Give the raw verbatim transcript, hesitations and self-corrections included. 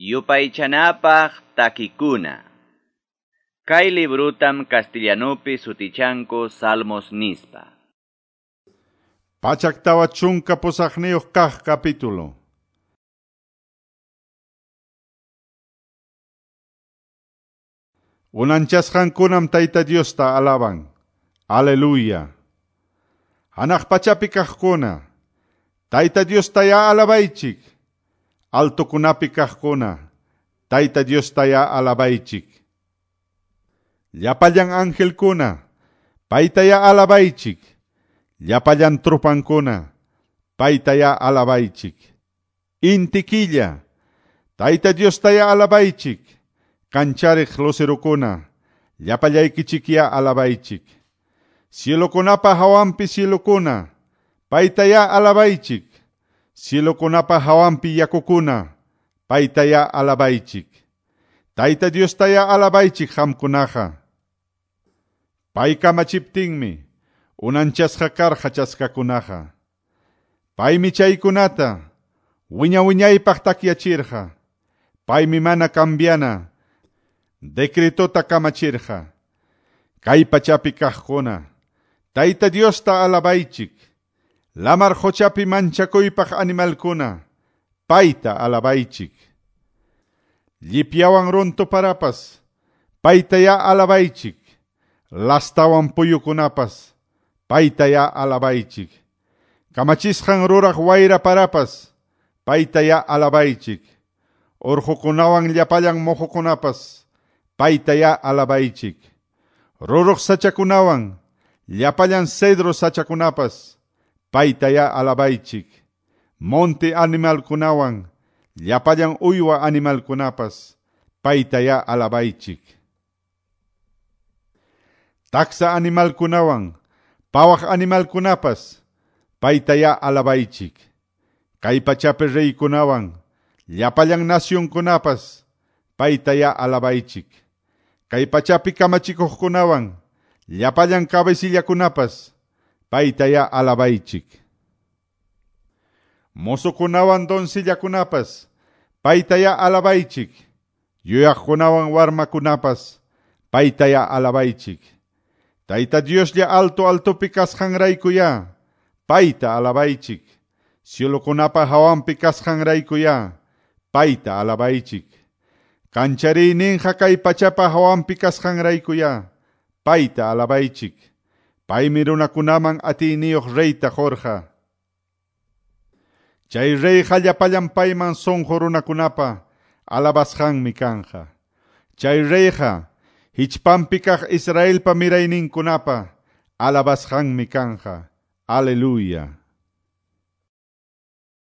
Yupaychanapaq takikuna. Kay librutam castellanupi sutichanku Salmos nispa. Pachak tawa chunka pusaqniyuq kaq capítulo. Unanchasqankunam Tayta Diosta alaban. Aleluya. Hanaq pachapi kaqkuna, Tayta Diostayá alabaychik. Altokunapi kaqkuna, Tayta Diostayá alabaychik. Llapallan angelkuna, paytayá alabaychik. Llapallan trupankuna, paytayá alabaychik. Inti killa, Tayta Diostayá alabaychik. Kanchariq lucerukuna, llapallaykichikyá alabaychik. Cielokunapa hawanpi cielokuna, paytayá alabaychik. Cielokunapa hawanpi yakukuna, paytayá alabaychik. Tayta Diostayá alabaychik qamkunaqa. Pay kamachiptinmi, unanchasqa karqa chaskakunaqa. Paymi chaykunata, wiña wiñaypaq takyachirqa. Paymi mana cambiana, decretota kamachirqa. Kay pachapi kaqkuna, Tayta Diosta alabaychik. Lamar qochapi manchakuypaq animalkuna, payta alabaychik. Llipyawan runtu parapas, paytayá alabaychik. Lastawan puyukunapas, paytayá alabaychik. Kamachisqan ruraq wayra parapas, paytayá alabaychik. Urqukunawan llapallan muhukunapas, paytayá alabaychik. Ruruq sachakunawan, llapallan cedro sachakunapas, paytayá alabaychik. Monte animalkunawan, llapallan uywa animalkunapas, paytayá alabaychik. Taksa animalkunawan, pawaq animalkunapas, paytayá alabaychik. Kay pachapi reykunawan, llapallan nacionkunapas, paytayá alabaychik. Kay pachapi kamachikuqkunawan, llapallan cabecillakunapas, paytayá alabaychik. Mozokunawan doncillakunapas, paytayá alabaychik. Yuyaqkunawan warmakunapas, paytayá alabaychik. Tayta Dioslla alto altopi kasqanraykuyá, payta alabaychik. Cielokunapa hawanpi kasqanraykuyá, payta alabaychik. Kanchariyninqa kay pachapa hawanpi kasqanraykuyá, payta alabaychik. Paymi runakunaman atiyniyuq reyta qurqa. Chay reyqa llapallan payman sunqu runakunapa alabasqanmi kanqa. Chay reyqa hichpanpi kaq Israelpa mirayninkunapa alabasqanmi kanqa. Aleluya.